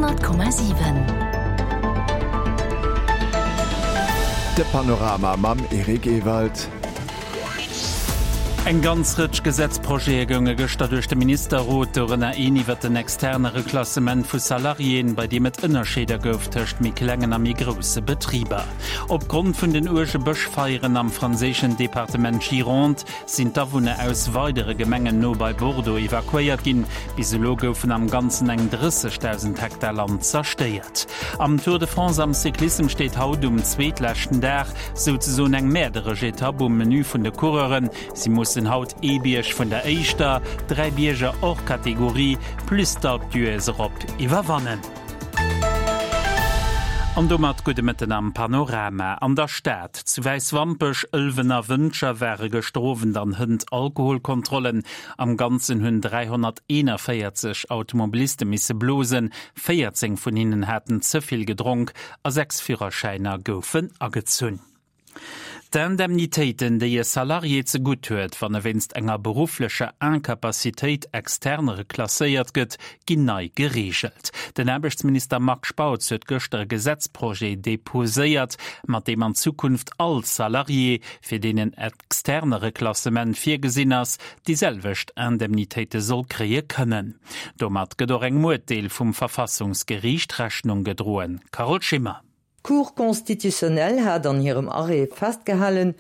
100,7. De Panorama mam Eric Ewald. Eng ganz Rëtsch Gesetzprojete gounge gëschter duerch de Ministerrot, dorënner een iwwer den externe Reklassement vu Salariéen, bei deem et Ënnerscheeder gouf tëscht méi klengen a méi grousse Betriber. Opgrond vun den uerge Bëschfeieren am franséischen Departement Gironde sinn d'Awunner aus weidere Gemengen no bei Bordeaux evakuéiert ginn. Bis elo goufen am Ganzen eng 30.000 Hektar Land zerstéiert. Am Tour de France am Cyclissem steet haut um zweetleschten Dag souzesoen eng mäerderesch Etapp um Menü vun de Coureuren. Si mussen haut ee Bierg vun der éischter, 3 Bierger hors Catégorie plus d'Alpe d'Huez erop iwwerwannen. An domat gudde Mëtten am Panorama. An der Stad, zu Wäiswampech, Ëlwen a Wëntger ware gëschter Owend an hënt Alkoholkontrollen. Am Ganzen hunn 341 Automobiliste misse blosen, 14 vun hinnen haten ze vill gedronk a 6 Führerschäiner goufen agezunn. D'Indemnitéiten, déi e Salarié ze gutt huet, wann e wéinst enger berufflecher Incapacitéit externe reklasséiert gëtt, ginn nei gereegelt. Den Aarbechtsminister Marc Spautz huet gëschter e Gesetzprojet deposéiert, mat deem an Zukunft all Salarié, fir deen en externe Reklassement virgesinn ass, déi selwecht Indemnitéite soll kréie kënnen. Domat gëtt och engem Uerteel vum Verfassungsgeriicht Rechnung gedroen. Carole Schimmer. D'Cour constitutionnelle hat an hirem Arrêt festgehalen,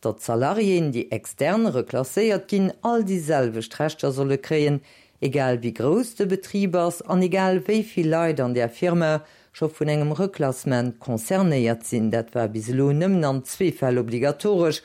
datt d'Salariéen, déi extern reklasséiert ginn, all déi selwecht Rechter solle kréien, egal wéi grouss de Betrib ass an egal wéi vill Leit an där Firma scho vun engem Reklassement concernéiert sinn. Dat war bis elo nëmmen an zwee Fäll obligatoresch,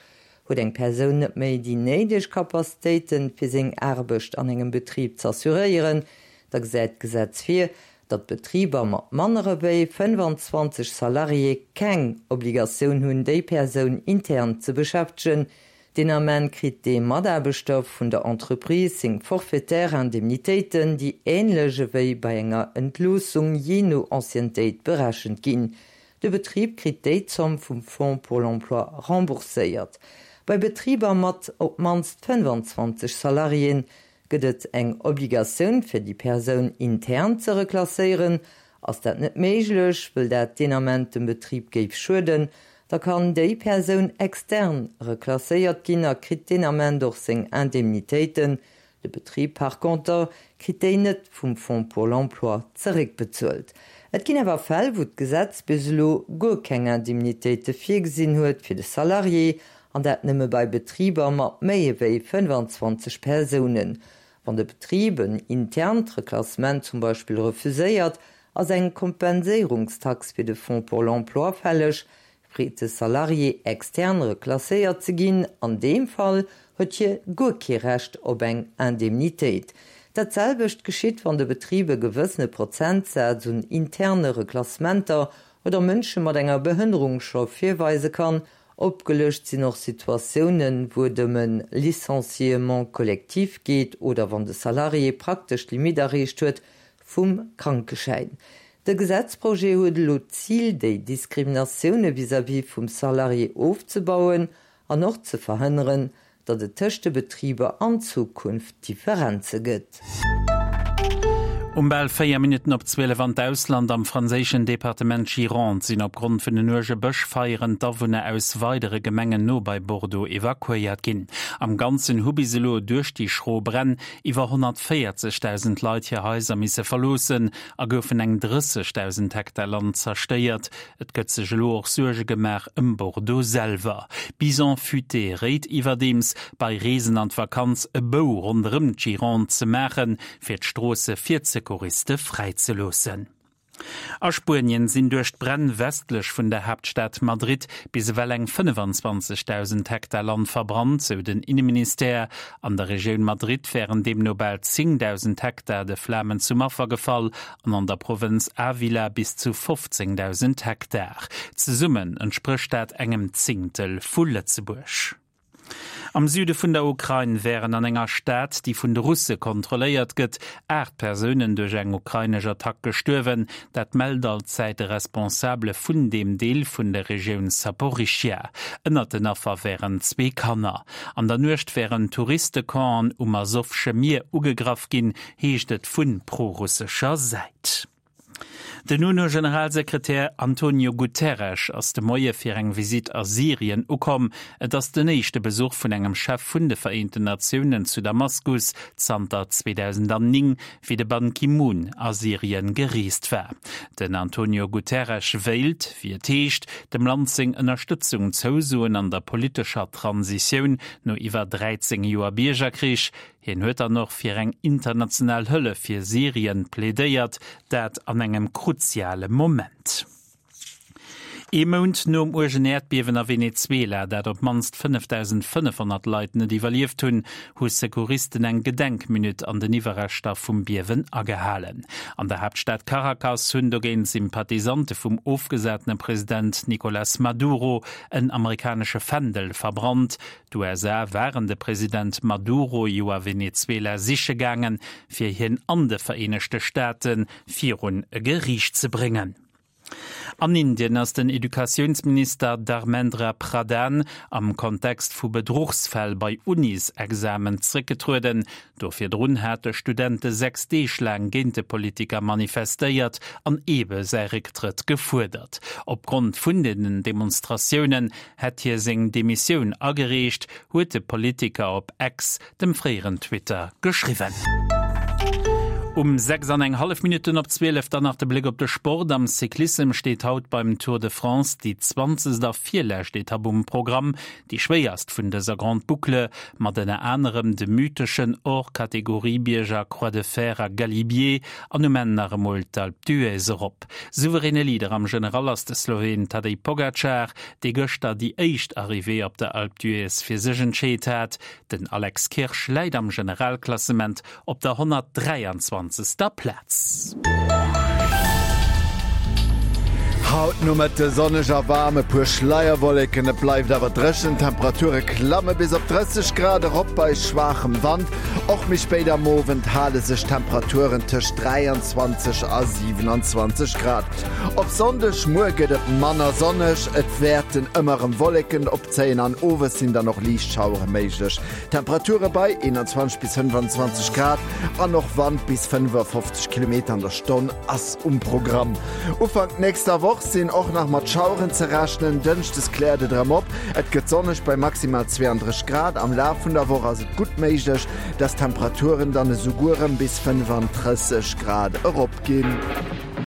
Huet eng Persoun net méi déi néideg Capacitéiten, fir seng Aarbecht an engem Betrib z'assuréieren, da gesäit d'Gesetz vir, datt Betriber mat manner ewéi 25 Salariéë keng Obligatioun hunn, déi Persoun intern ze beschäftegen. Deen Ament kritt dee Mataarbechter vun der Entreprise seng forfaitaire Indemnitéiten, déi änlech ewéi bei enger Entloossung jee no Anciennetéit berechent ginn. De Betrib kritt déi Zomm vum Fonds pour l'emploi rembourséiert. Bei Betriber mat op d'mannst 25 Salariéen gëtt et eng Obligatioun fir déi Persoun intern ze reklasséieren. Ass dat net méiglech, wëll dat deen Ament dem Betrib géif schueden, da kann déi Persoun extern reklasséiert ginn a kritt deen Ament och seng Indemnitéiten. De Betrib par conter kritt déi net vum Fonds pour l'emploi zeréckbezuelt. Et ginn awer Fäll, wou d'Gesetz bis elo guer keng Indemnitéite virgesinn huet fir de Salarié, an dat nëmme bei Betriber mat méi ewéi 25 Persounen. Wann de Betrib en internt Reklassement zum Beispill refuséiert, ass eng Kompenséierungstax fir de Fonds pour l'emploi fälleg, Freet de Salarié extern reklasséiert ze ginn, an deem Fall huet hie guer kee Recht op eng Indemnitéit. Dat selwecht geschitt, wann de Betrib e gewëssene Prozentsaz un interne Reklassementer oder Mënsche mat enger Behënnerung scho virweise kann. Opgelëscht sinn och Situatiounen, wou et ëm e Licenciement collectif geet oder wann de Salarié praktesch d'Limitt erreecht huet vum Krankeschäin. De Gesetzprojet huet elo d'Zil, déi Diskriminatioune vis-à-vis vum Salarié ofzebauen an och ze verhënneren, datt et tëscht de Betriber an Zukunft Differenze gëtt. Um bal 4 Minutten op 12 an d'Ausland, Am franséischen Departement Gironde sinn opgrond vun den uerge Bëschfeieren d'Awunner aus weidere Gemengen no bei Bordeaux evakuéiert ginn. Am Ganzen hu bis elo duerch déi schro Bränn iwwer 140.000 Leit hir Haiser misse verloossen a goufen eng 30.000 Hektar Land zerstéiert. Et gëtt sech elo och Suerge gemaach ëm Bordeaux selwer. Bison Futé réit iwwerdeems, bei Reesen an d'Vakanz e Bou ronderëm d'Gironde ze maachen, fir d'Stroosse fir d'Secouriste fräizeloossen. A Spuenien sinn duerch d'Bränn westlech vun der Haaptstad Madrid bis ewell eng 25.000 Hektar Land verbrannt, sou den Inneministère. An der Regioun Madrid wären deemno bal 10.000 Hektar de Flamen zum Affer gefall an an der Provënz Ávila bis zu 15.000 Hektar. Zesummen entsprécht dat engem Zéngtel vu Lëtzebuerg. Am Süde vun der Ukrain wären an enger Stad, déi vun de Russe kontrolléiert gëtt, 8 Persounen duerch eng ukrainesch Attack gestuerwen. Dat mellt allzäit de Responsabele vun deem Deel vun der Regioun Saporischschja. Ënnert den Affer wären zwee Kanner. An der Nuecht wären Touristecampen um Asowsche Mier ugegraff ginn, heescht et vu prorussescher Säit. Den UNO-Generalsekretär Antonio Guterres ass de Moie fir eng Visitt a Syrien ukomm. Et ass den éischte Besuch vun engem Chef vun de Vereenten Natiounen zu Damaskus zanter 2009, wéi de Ban Ki-moon a Syrien gereest war. Den Antonio Guterres wéilt, wéi et heescht, dem Land seng Ënnerstëtzung zousoen an der politescher Transitioun no iwwer 13 Joer Biergerkrich. Hien huet dann och fir eng international Hëllef fir Syrien plädéiert, dat an engem kruziale Moment. Ee Mount nom uergen Äerdbiewen a Venezuela, dat op d'mannst 5.500 Leit net iwwerlieft hunn, hu Secouristen eng Gedenkminutt an den Iwwerreschter vum Biewen agehalen. An der Haaptstad Caracas hunn dogéint Sympathisante vum ofgesatene President Nicolas Maduro en amerikanesche Fändel verbrannt. D'USA waren de President Maduro jo a Venezuela siche gaangen, fir hien an de Vereenegte Staate virun e Geriicht ze bréngen. An Indien ass den Educatiounsminister Dharmendra Pradhan am Kontext vu Bedruchsfäll bei Unisexamen zréckgetrueden. Do virdrun hate Studente 6 Deeg laang géint de Politiker manifestéiert an eebe säi Récktrëtt gefuerdert. Opgrond vun den Demonstratiounen hätt hie seng Demissioun agereecht, huet de Politiker op X, dem fréieren Twitter, geschriwwen. Um 6 an eng hallef Minutten op 12 dann nach de Bléck op de Sport. Am Cyclissem steet haut beim Tour de France déi zwanzegst a virlescht Etapp um Programm, déi schwéierst vun dëser Grande Boucle, mat ënner anerem de mytheschen Hors-Catégorie-Bierger Croix de Fer a Galibier an um Enn nach emol d'Alpe d'Huez erop. Souveräne Leader am General ass de Sloween Tadej Pogacar, dee gëschter déi éischt Arrivée op der Alpe d'Huez fir sech entscheet hat. Den Alex Kirsch läit am Generalklassement op der 123. Plaz. Haut Nomëtte sonneg a waarm, e puer Schleierwolleken, et bleift awer dréchen. D'Temperature klamme bis op 30 Grad erop bei schwaachem Wand. Och méi spéit am Owend hale sech d'Temperaturen tëscht 23 a 27 Grad. Op Sonndeg muer gëtt et manner sonneg, et wäerten ëmmer erëm Wolleken opzéien an owes sinn dann och liicht Schauere méiglech. Temperature bei 21 bis 25 Grad an och Wand bis 55 Kilometer an der Stonn ass um Programm. Ufank nächster Woch sinn och nach mat Schaueren ze rechnen. Dënschdes kläert et erëm op, et gëtt sonneg bei maximal 32 Grad. Am Laf vun der Woch ass et gutt méiglech, dass d'Temperaturen dann esouguer erëm bis 35 Grad eropginn.